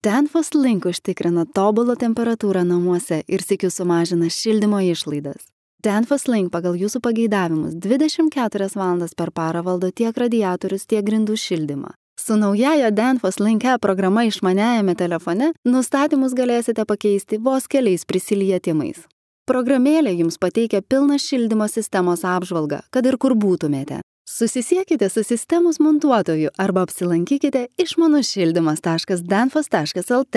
Danfoss Link užtikrina tobulą temperatūrą namuose ir sykiu sumažina šildymo išlaidas. Danfoss Link pagal jūsų pageidavimus 24 valandas per parą valdo tiek radiatorius, tiek grindų šildymą. Su naujaja Danfoss Link programa išmaniajame telefone nustatymus galėsite pakeisti vos keliais prisilietimais. Programėlė jums pateikia pilną šildymo sistemos apžvalgą, kad ir kur būtumėte. Susisiekite su sistemos montuotoju arba apsilankykite išmanušildymas.danfoss.lt.